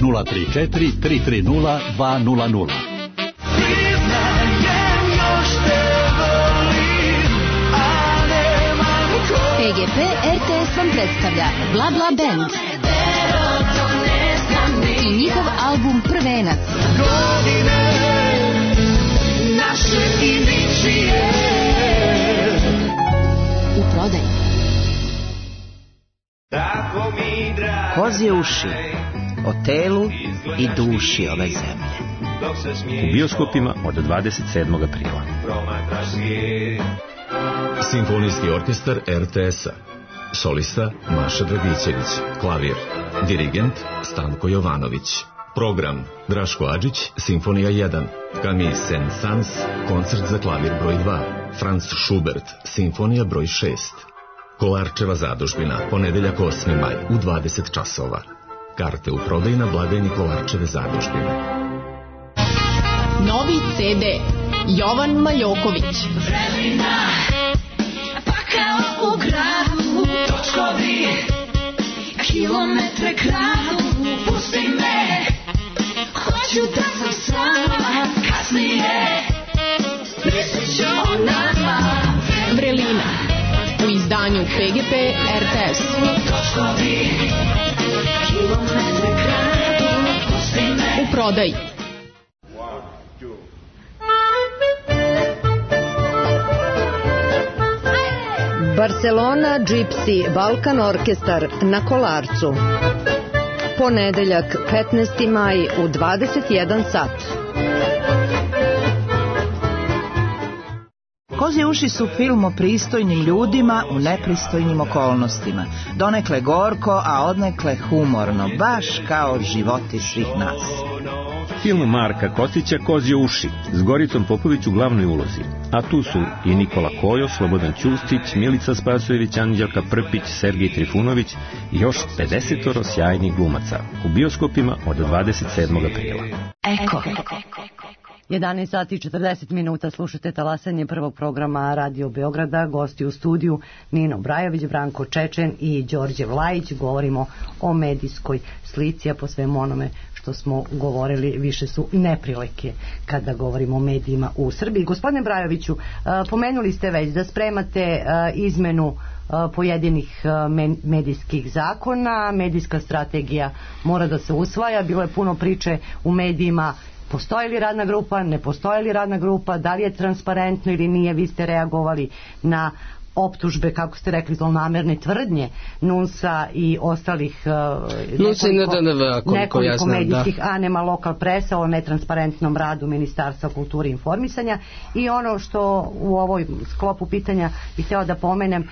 034 330 200. PGP RTS vam predstavlja Bla Bla Band i njihov album Prvenac. U prodaju. Kozje uši o telu i duši ove zemlje. U bioskopima od 27. aprila. Simfonijski orkestar RTS-a. Solista Maša Dragićević. Klavir. Dirigent Stanko Jovanović. Program Draško Adžić, Simfonija 1. Camille Saint-Saëns, koncert za klavir broj 2. Franz Schubert, Simfonija broj 6. Kolarčeva zadužbina, ponedeljak 8. maj u 20 časova. Karte u prodaju na blagajni Kolarčeve zadužbine. Novi CD Jovan Maljoković. Vremena, pa kao u gradu, točkovi, kilometre kradu, pusti me, hoću da sam sama, kasnije, mislit ću o nama. Vrelina, u izdanju PGP RTS. Točkovi, kilometre kradu, pusti me. U prodaju. Barcelona Gypsy Balkan Orkestar na Kolarcu. Ponedeljak 15. maj u 21 sat. Kozje uši su film o pristojnim ljudima u nepristojnim okolnostima. Donekle gorko, a odnekle humorno, baš kao životi svih nas. Film Marka Kostića Kozje uši s Goricom Popović u glavnoj ulozi. A tu su i Nikola Kojo, Slobodan Ćustić, Milica Spasojević, Anđelka Prpić, Sergej Trifunović i još 50 sjajnih glumaca. U bioskopima od 27. aprila. Eko. 11 sati i 40 minuta slušate talasanje prvog programa Radio Beograda. Gosti u studiju Nino Brajović, Branko Čečen i Đorđe Vlajić. Govorimo o medijskoj slici, a po svemu onome što smo govorili više su neprilike kada govorimo o medijima u Srbiji. Gospodine Brajoviću, pomenuli ste već da spremate izmenu pojedinih medijskih zakona, medijska strategija mora da se usvaja, bilo je puno priče u medijima. Postoji li radna grupa, ne postoji li radna grupa, da li je transparentno ili nije, vi ste reagovali na optužbe, kako ste rekli, zlonamerne tvrdnje NUNS-a i ostalih nekoliko medijskih anema lokal presa o netransparentnom radu Ministarstva kulture i informisanja. I ono što u ovoj sklopu pitanja bih htjela da pomenem,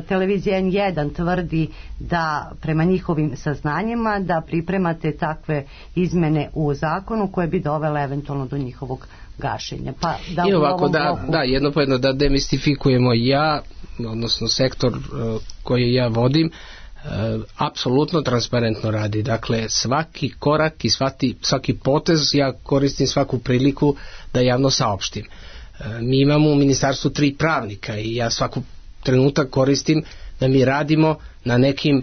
televizija N1 tvrdi da prema njihovim saznanjima da pripremate takve izmene u zakonu koje bi dovele eventualno do njihovog gašenja. Pa da i ovako jedno po jedno da demistifikujemo, odnosno sektor koji ja vodim apsolutno transparentno radi. Dakle, svaki korak i svaki potez ja koristim svaku priliku da javno saopštim. Mi imamo u ministarstvu 3 pravnika i ja svaku trenutak koristim da mi radimo na nekim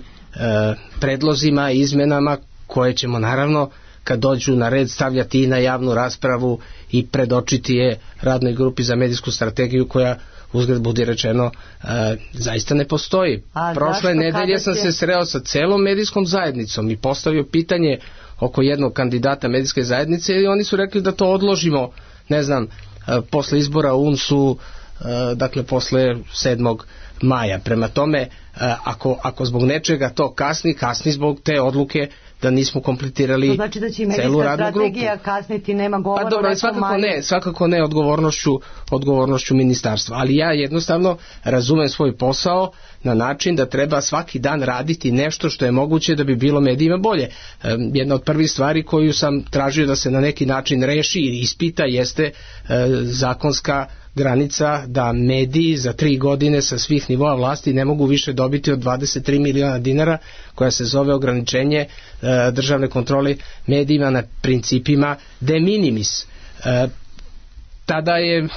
predlozima i izmenama koje ćemo naravno kad dođu na red stavljati i na javnu raspravu i predočiti je radnoj grupi za medijsku strategiju koja, uzgled budi rečeno, zaista ne postoji. Prošle nedelje sam se sreo sa celom medijskom zajednicom i postavio pitanje oko jednog kandidata medijske zajednice i oni su rekli da to odložimo, ne znam, posle izbora u UNS-u, dakle posle 7. maja. Prema tome, ako zbog nečega to kasni zbog te odluke da nismo kompletirali celu radnu grupu. To znači da će i medijska strategija kasniti, nema govora. Pa dobro, svakako ne odgovornošću ministarstva, ali ja jednostavno razumem svoj posao na način da treba svaki dan raditi nešto što je moguće da bi bilo medijima bolje. Jedna od prvih stvari koju sam tražio da se na neki način reši i ispita jeste zakonska granica da mediji za 3 godine sa svih nivoa vlasti ne mogu više dobiti od 23 miliona dinara, koja se zove ograničenje državne kontrole medijima na principima de minimis. Tada je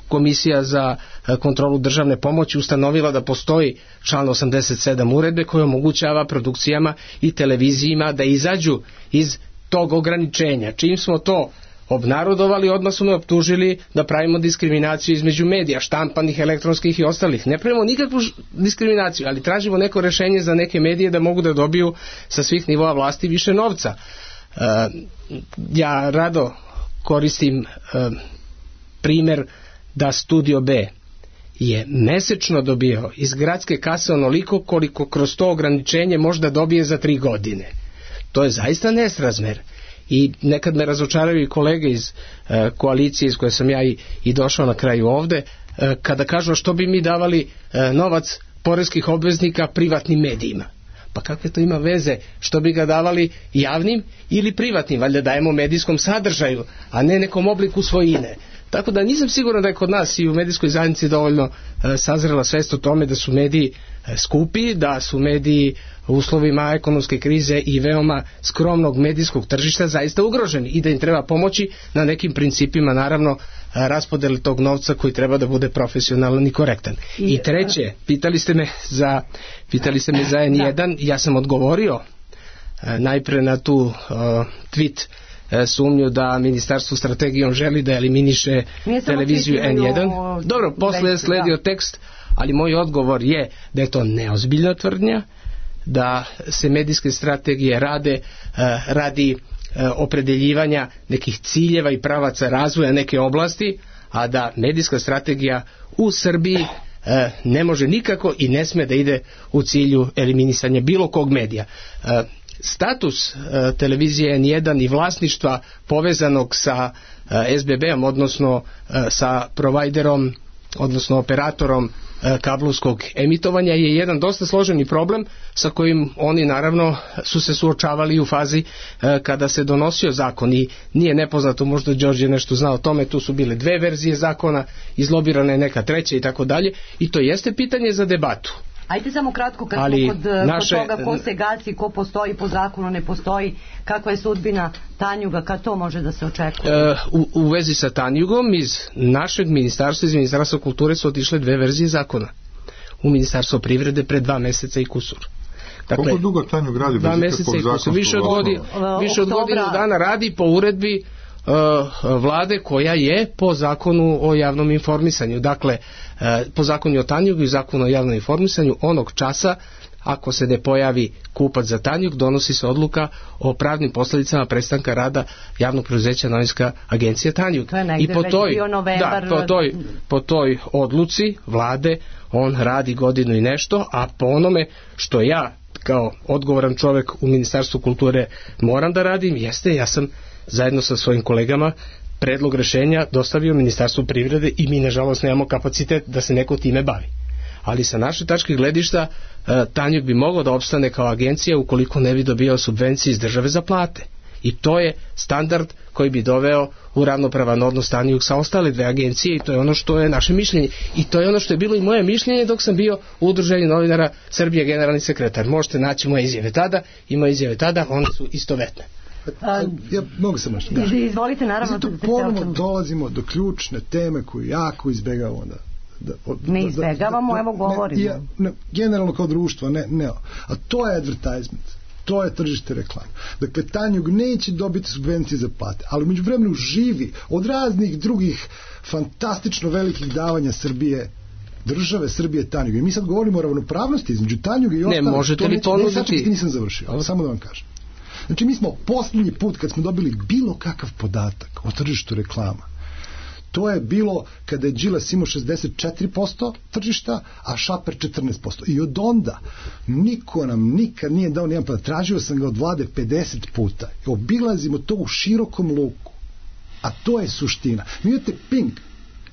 Komisija za kontrolu državne pomoći ustanovila da postoji član 87 uredbe koja omogućava produkcijama i televizijima da izađu iz tog ograničenja. Čim smo to obnarodovali, odmah su me optužili da pravimo diskriminaciju između medija, štampanih, elektronskih i ostalih. Ne pravimo nikakvu diskriminaciju, ali tražimo neko rešenje za neke medije da mogu da dobiju sa svih nivoa vlasti više novca. Ja rado koristim primer da Studio B je mesečno dobio iz gradske kase onoliko koliko kroz to ograničenje možda dobije za 3 godine. To je zaista nesrazmer. I nekad me razočaraju i kolege iz koalicije iz koje sam ja i došao na kraju ovde, kada kažu što bi mi davali novac poreskih obveznika privatnim medijima. Pa kakve to ima veze što bi ga davali javnim ili privatnim? Valjda dajemo medijskom sadržaju, a ne nekom obliku svojine. Tako da nisam siguran da je kod nas i u medijskoj zajednici dovoljno sazrela svest o tome da su mediji skupi, da su mediji u uslovima ekonomske krize i veoma skromnog medijskog tržišta zaista ugroženi i da im treba pomoći na nekim principima, naravno, raspodeli tog novca koji treba da bude profesionalan i korektan. I treće, pitali ste me za N1, ja sam odgovorio najpre na tu tweet sumnju da ministarstvo strategijom želi da eliminiše televiziju N1. Dobro, posle je sledio tekst, ali moj odgovor je da je to neozbiljna tvrdnja, da se medijske strategije rade radi opredeljivanja nekih ciljeva i pravaca razvoja neke oblasti, a da medijska strategija u Srbiji ne može nikako i ne sme da ide u cilju eliminisanja bilo kog medija. Status televizije N1 i vlasništva povezanog sa SBB-om, odnosno sa provajderom, odnosno operatorom kablovskog emitovanja je jedan dosta složeni problem sa kojim oni naravno su se suočavali u fazi kada se donosio zakon i nije nepoznato, možda Đorđe nešto zna o tome, tu su bile 2 verzije zakona, izlobirana je neka treća i tako dalje i to jeste pitanje za debatu. Ajde samo kratko, kad smo kod toga ko se gasi, ko postoji po zakonu, ne postoji, kakva je sudbina Tanjuga, kad to može da se očekuje? U vezi sa Tanjugom iz našeg ministarstva, iz Ministarstva kulture su otišle 2 verzije zakona. U Ministarstvo privrede pre 2 meseca i kusur. Dakle, koliko dugo Tanjug radi? 2 meseca i kusur. Više od godinu dana radi po uredbi vlade koja je po zakonu o javnom informisanju. Dakle, po zakonu o Tanjugu i zakonu o javnom informisanju onog časa ako se ne pojavi kupac za Tanjug, donosi se odluka o pravnim posljedicama prestanka rada javnog preduzeća Novinska agencija Tanjug. I po toj odluci vlade on radi godinu i nešto, a po onome što ja kao odgovoran čovjek u Ministarstvu kulture moram da radim, jeste, ja sam zajedno sa svojim kolegama predlog rešenja dostavio Ministarstvu privrede i mi nažalost nemamo kapacitet da se neko time bavi. Ali sa naše tačke gledišta Tanjug bi mogao da opstane kao agencija ukoliko ne bi dobio subvencije iz države za plate. I to je standard koji bi doveo u ravnopravan odnos Tanjug sa ostale 2 agencije i to je ono što je naše mišljenje. I to je ono što je bilo i moje mišljenje dok sam bio u Udruženju novinara Srbije generalni sekretar. Možete naći moje izjave tada i moje izjave tada, one su istovetne. Ja mogu sam nešto. Izvolite, naravno. Zato ponovno dolazimo do ključne teme koju jako izbegavamo ne izbegavamo, evo govorimo. Generalno kao društvo, ne. A to je advertisement. To je tržište reklame. Dakle, Tanjug neće dobiti subvencije za plate, ali u međuvremenu živi od raznih drugih fantastično velikih davanja Srbije, države Srbije Tanjuga. I mi sad govorimo o ravnopravnosti između Tanjuga i ostalih. Ne, možete li ponuditi? Nisam završio, ali samo da vam kažem. Znači, mi smo posljednji put kad smo dobili bilo kakav podatak o tržištu reklama, to je bilo kada je Đilas imao 64% tržišta, a Šaper 14%. I od onda niko nam nikad nije dao nijedan podatak. Tražio sam ga od vlade 50 puta. I obilazimo to u širokom luku. A to je suština.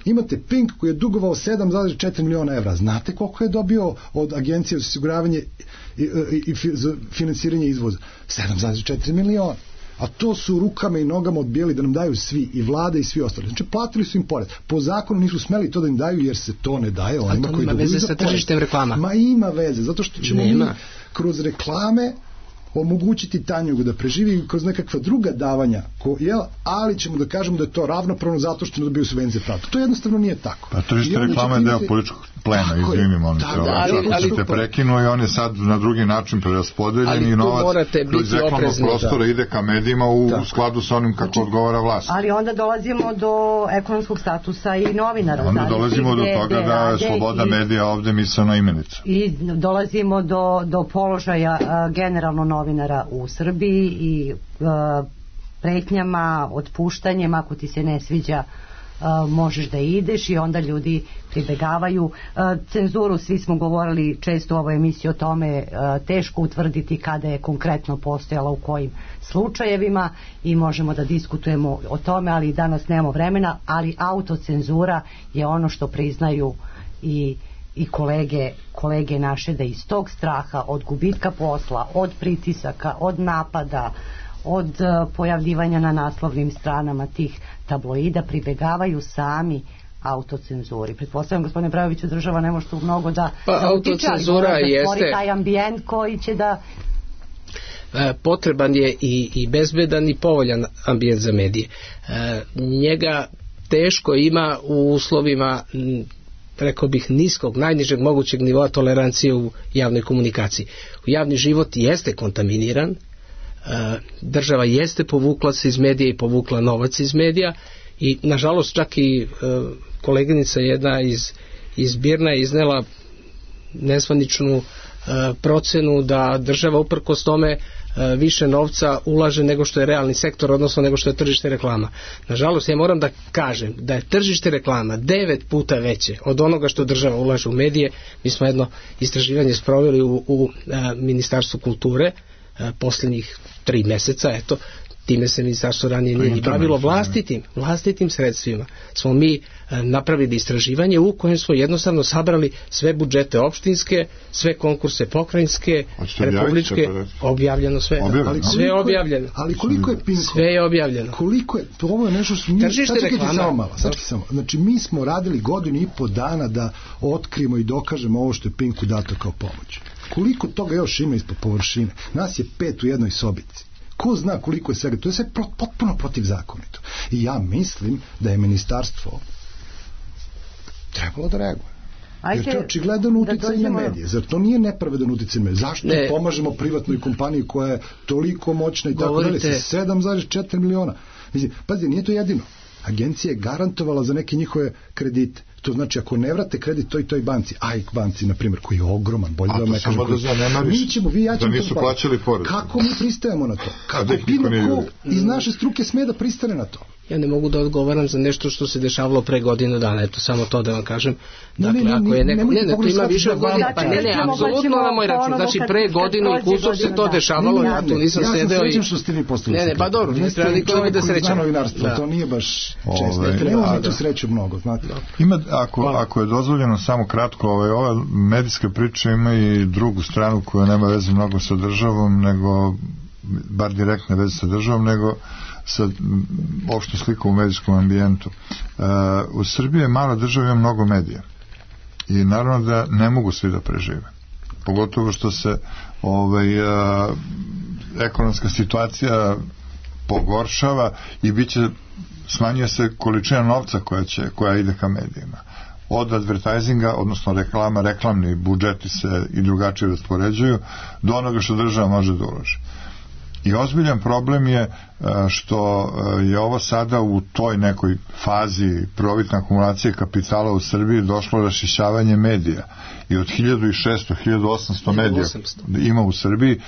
Imate Pink koji je dugovao 7,4 miliona evra. Znate koliko je dobio od agencije za osiguravanje i finansiranje izvoza? 7,4 miliona. A to su rukama i nogama odbijali da nam daju svi, i vlada i svi ostali. Znači, platili su im porez. Po zakonu nisu smeli to da im daju, jer se to ne daje onima koji ima veze sa tržištem reklama. Ma ima veze, zato što ćemo mi kroz reklame omogućiti Tanjugu da preživi kroz nekakva druga davanja, ali ćemo da kažemo da je to ravnopravno zato što ne dobiju subvencije pravda. To jednostavno nije tako. Pa tržište reklama je deo političkog plena, izvini, molim se, ako ste prekinuo i on je sad na drugi način preraspodeljen i novac kroz reklamnog prostora ide ka medijima u skladu sa onim kako odgovara vlast. Ali onda dolazimo do ekonomskog statusa i novinara. Onda dolazimo do toga da je sloboda medija ovde mislena imenica. I dolazimo do položaja generalno novinara u Srbiji i pretnjama, otpuštanjem, ako ti se ne sviđa možeš da ideš, i onda ljudi pribegavaju cenzuru. Svi smo govorili često u ovoj emisiji o tome, teško utvrditi kada je konkretno postojala, u kojim slučajevima, i možemo da diskutujemo o tome, ali danas nemamo vremena. Ali autocenzura je ono što priznaju i kolege naše, da iz tog straha od gubitka posla, od pritisaka, od napada, od pojavljivanja na naslovnim stranama tih tabloida pribegavaju sami autocenzuri. Pretpostavljam, gospodine Brajoviću, država ne može tu mnogo da autocenzura jeste taj ambijent koji će da potreban je i bezbedan i povoljan ambijent za medije. Njega teško ima u uslovima, rekao bih, niskog, najnižeg mogućeg nivoa tolerancije u javnoj komunikaciji. Javni život jeste kontaminiran, država jeste povukla se iz medija i povukla novac iz medija, i nažalost čak i koleginica jedna iz Birna je iznela nezvaničnu procenu da država uprkos tome više novca ulaže nego što je realni sektor, odnosno nego što je tržište reklama. Nažalost, ja moram da kažem da je tržište reklama 9 puta veće od onoga što država ulaže u medije. Mi smo jedno istraživanje sproveli u Ministarstvu kulture posljednjih 3 meseca, eto, time se ministarstvo ranije nije ni bavilo, vlastitim sredstvima smo mi napravili istraživanje u kojem smo jednostavno sabrali sve budžete opštinske, sve konkurse pokrajinske, republičke, objavljeno sve. Sve je objavljeno. Ali koliko je Pinko? Sve je objavljeno. Koliko je, ovo je nešto što nije, znači mi smo radili 1,5 godinu dana da otkrijemo i dokažemo ovo što je Pinku dato kao pomoć. Koliko toga još ima ispod površine? Nas je 5 u jednoj sobici. Ko zna koliko je svega? To je sve potpuno protivzakonito. I ja mislim da je ministarstvo trebalo da reaguje. Jer to je očigledan uticaj na medije. Zar to nije nepravedan uticaj na medije? Zašto pomažemo privatnoj kompaniji koja je toliko moćna i tako dalje, sa 7,4 miliona? Mislim, pazi, nije to jedino. Agencija je garantovala za neke njihove kredite. To znači, ako ne vrate kredit toj banci, AIK banci, na primjer, koji je ogroman, bolje da vam ne kažem, mi ćemo, da nisu plaćali porez. Kako mi pristajemo na to? Kako bilo ko iz naše struke sme da pristane na to? Ja ne mogu da odgovaram za nešto što se dešavalo pre godinu dana, eto, samo to da vam kažem. Dakle, ako je neko, to ima više od godina, pa ne, apsolutno na moj račun, znači pre godinu i kusur se to dešavalo, ja tu nisam sedeo i... što ste vi postali. Ne, pa dobro, ne treba niko da srećam. To nije baš često, nema tu sreću mnogo, znate. Ima, ako je dozvoljeno samo kratko, ova medijska priča ima i drugu stranu koja nema veze mnogo sa državom, nego, bar direktne veze sa državom, nego sa opštom slikom u medijskom ambijentu. U Srbiji je mala država, ima mnogo medija. I naravno da ne mogu svi da prežive. Pogotovo što se ekonomska situacija pogoršava i smanjuje se količina novca koja ide ka medijima. Od advertisinga, odnosno reklama, reklamni budžeti se i drugačije raspoređuju, do onoga što država može da uloži. I ozbiljan problem je što je ovo sada u toj nekoj fazi prvobitne akumulacije kapitala u Srbiji došlo rašišćavanje medija. I od 1600, 1800 medija ima u Srbiji,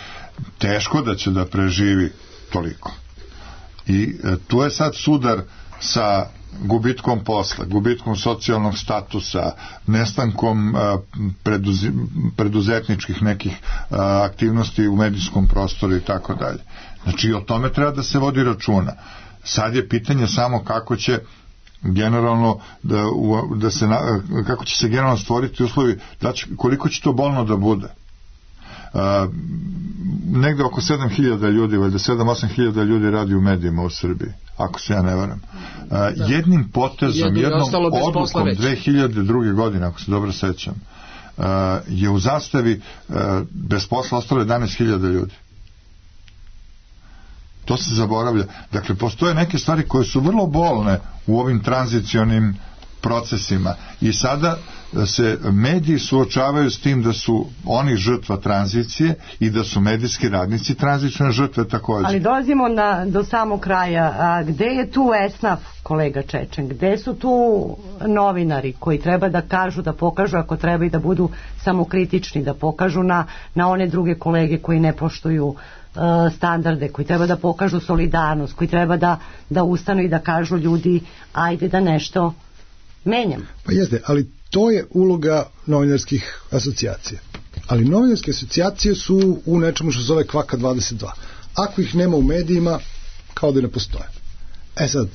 teško da će da preživi toliko. I tu je sad sudar sa gubitkom posla, gubitkom socijalnog statusa, nestankom preduzetničkih nekih aktivnosti u medijskom prostoru i tako dalje. Znači, o tome treba da se vodi računa. Sad je pitanje samo kako će generalno kako će se generalno stvoriti uslovi, koliko će to bolno da bude. Negde oko 7.000 ljudi, valjda 7-8.000 ljudi radi u medijima u Srbiji, ako se ja ne varam. Jednim potezom, jednom odlukom 2002. godine, ako se dobro sećam, je u Zastavi bez posla ostalo 11.000 ljudi. To se zaboravlja. Dakle, postoje neke stvari koje su vrlo bolne u ovim tranzicionim procesima i sada se mediji suočavaju s tim da su oni žrtva tranzicije i da su medijski radnici tranzicijne žrtve također. Ali dolazimo do samog kraja. A gde je tu esnaf, kolega Čečen? Gde su tu novinari koji treba da kažu, da pokažu ako treba i da budu samokritični, da pokažu na one druge kolege koji ne poštuju standarde, koji treba da pokažu solidarnost, koji treba da ustanu i da kažu ljudi ajde da nešto menjam. Pa jeste, ali to je uloga novinarskih asocijacija. Ali novinarske asocijacije su u nečemu što se zove Kvaka 22. Ako ih nema u medijima, kao da ne postoje. Sad,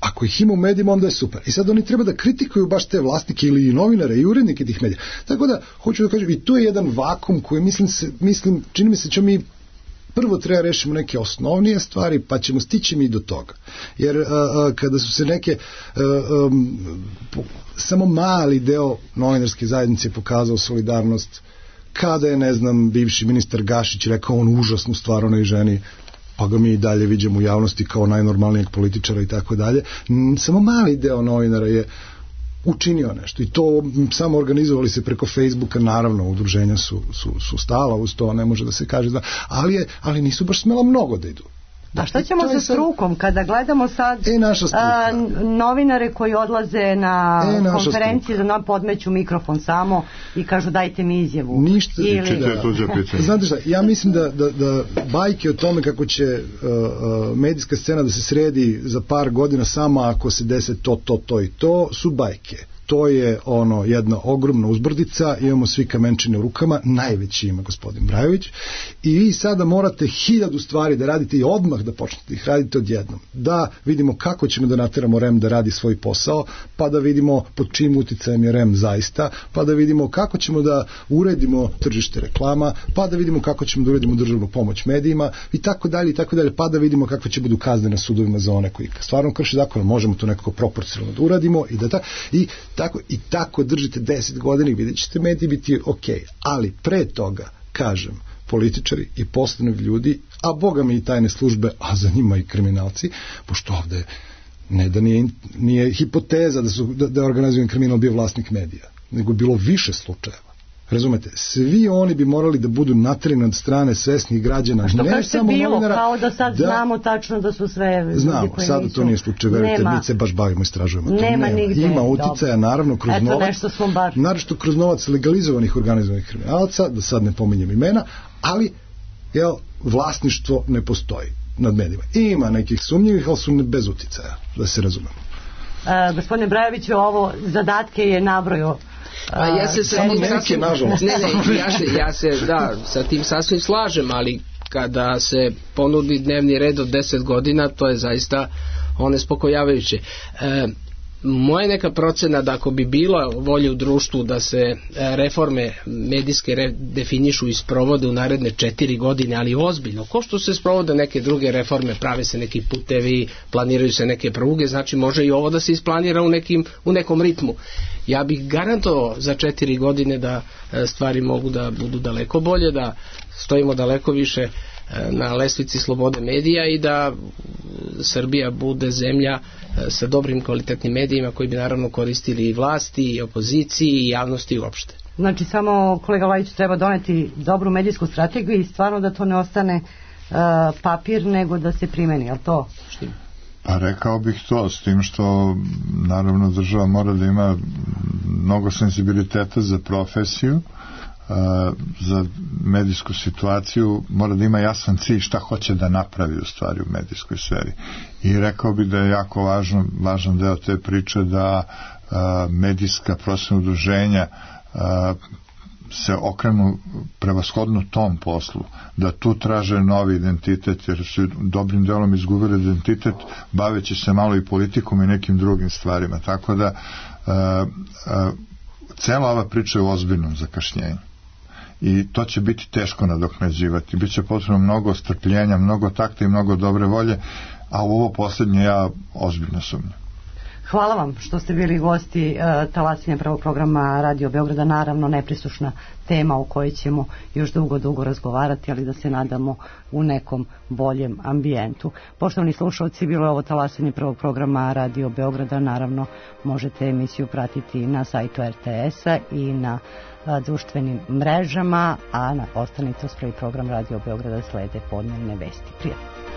ako ih ima u medijima, onda je super. I sad oni treba da kritikuju baš te vlasnike ili novinare i urednike tih medija. Tako da, hoću da kažem, i to je jedan vakum koji mislim, čini mi se će mi prvo treba rešimo neke osnovnije stvari, pa ćemo stići mi do toga. Jer kada su se neke samo mali deo novinarske zajednice pokazao solidarnost, kada je, ne znam, bivši ministar Gašić rekao on užasnu stvar onoj ženi, pa ga mi i dalje viđemo u javnosti kao najnormalnijeg političara i tako dalje, samo mali deo novinara je učinio nešto i to samo organizovali se preko Facebooka, naravno udruženja su stala uz to, ne može da se kaže ali nisu baš smela mnogo da idu. A šta ćemo sa strukom kada gledamo sad novinare koji odlaze na konferencije za podmeću mikrofon samo i kažu dajte mi izjavu? Ništa. Znate šta, ja mislim da bajke o tome kako će medijska scena da se sredi za par godina samo ako se dese to i to su bajke. To je jedna ogromna uzbrdica, imamo svi kamenčine u rukama, najveći ima gospodin Brajović i vi sada morate 1000 stvari da radite i odmah da počnete ih radite odjednom. Da vidimo kako ćemo da nateramo REM da radi svoj posao, pa da vidimo pod čim uticajem je REM zaista, pa da vidimo kako ćemo da uredimo tržište reklama, pa da vidimo kako ćemo da uredimo državnu pomoć medijima i tako dalje, pa da vidimo kakve će budu kazne na sudovima za one koji stvarno krše zakon, možemo to nekako proporcionalno da uradimo i tako držite 10 godina i vidjet ćete mediji biti ok. Ali pre toga, kažem, političari i poslovni ljudi, a boga mi i tajne službe, a za njima i kriminalci, pošto ovde ne da nije hipoteza da je organizovan kriminal bio vlasnik medija, nego bilo više slučajeva. Razumete, svi oni bi morali da budu naterani od strane svesnih građana, ne samo novinara. Kao da sad znamo tačno da su sve... Znamo, sada to nije slučaj, verujte, mi se baš bavimo, istražujemo. Nema nigde. Ima uticaja, naravno, kroz novac. Eto, nešto smo bar... Naravno, kroz novac legalizovanih organizovanih kriminalaca, da sad ne pominjem imena, ali, vlasništvo ne postoji nad medijima. Ima nekih sumnjivih, ali su bez uticaja, da se razumemo. Gospodine Brajoviću, ovo zadatke je nabrojao. Ja se sa tim sasvim slažem, ali kada se ponudi dnevni red od 10 godina, to je zaista onespokojavajuće. Moja neka procena da ako bi bila volja u društvu da se reforme medijske definišu i sprovode u naredne 4 godine, ali ozbiljno, ko što se sprovode neke druge reforme, prave se neki putevi, planiraju se neke pruge, znači može i ovo da se isplanira u nekom ritmu. Ja bih garantovao za 4 godine da stvari mogu da budu daleko bolje, da stojimo daleko više na lestvici slobode medija i da Srbija bude zemlja sa dobrim kvalitetnim medijima koji bi naravno koristili i vlasti, i opoziciji, i javnosti uopšte. Znači samo kolega Lajić treba doneti dobru medijsku strategiju i stvarno da to ne ostane papir nego da se primeni, je li to? Pa rekao bih to, s tim što naravno država mora da ima mnogo senzibiliteta za profesiju, za medijsku situaciju, mora da ima jasan cilj šta hoće da napravi u stvari u medijskoj sferi. I rekao bih da je jako važan deo te priče da medijska profesionalna udruženja se okrenu prevashodno tom poslu, da tu traže novi identitet, jer su dobrim delom izgubili identitet baveći se malo i politikom i nekim drugim stvarima, tako da cela ova priča je u ozbiljnom zakašnjenju i to će biti teško nadoknađivati, bit će potrebno mnogo strpljenja, mnogo takta i mnogo dobre volje, a u ovo posljednje ja ozbiljno sumnjam. Hvala vam što ste bili gosti talasanja prvog programa Radio Beograda, naravno neprisušna tema o kojoj ćemo još dugo razgovarati, ali da se nadamo u nekom boljem ambijentu. Poštovani slušalci, bilo je ovo talasanje prvog programa Radio Beograda, naravno možete emisiju pratiti na sajtu RTS-a i na društvenim mrežama, a na ostanite uz prvi program Radio Beograda slede podnevne vesti. Prijatno.